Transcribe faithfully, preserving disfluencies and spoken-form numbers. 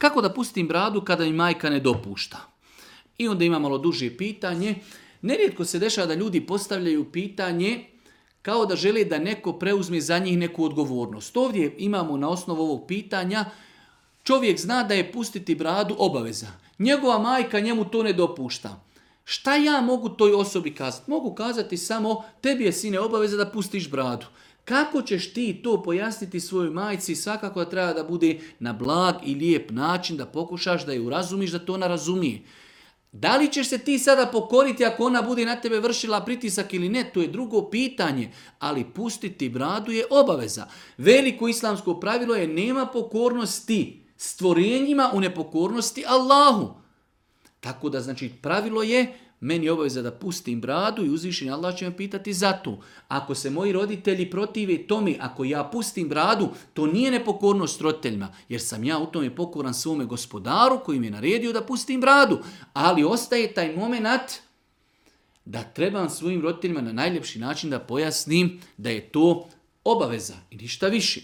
Kako da pustim bradu kada mi majka ne dopušta? I onda ima malo duže pitanje. Nerijetko se dešava da ljudi postavljaju pitanje kao da žele da neko preuzme za njih neku odgovornost. Ovdje imamo na osnovu ovog pitanja, čovjek zna da je pustiti bradu obaveza. Njegova majka njemu to ne dopušta. Šta ja mogu toj osobi kazati? Mogu kazati samo, tebi je sine obaveza da pustiš bradu. Kako ćeš ti to pojasniti svojoj majci? Svakako da treba da bude na blag i lijep način, da pokušaš da je urazumiš, da to ona razumije. Da li ćeš se ti sada pokoriti ako ona bude na tebe vršila pritisak ili ne, to je drugo pitanje, ali pustiti bradu je obaveza. Veliko islamsko pravilo je nema pokornosti stvorenjima u nepokornosti Allahu. Tako da znači pravilo je meni je obaveza da pustim bradu i uzvišeni Allah će me pitati za to. Ako se moji roditelji protive tome, ako ja pustim bradu, to nije nepokornost roditeljima, jer sam ja u tome pokoran svome gospodaru koji mi je naredio da pustim bradu. Ali ostaje taj moment da trebam svojim roditeljima na najljepši način da pojasnim da je to obaveza i ništa više.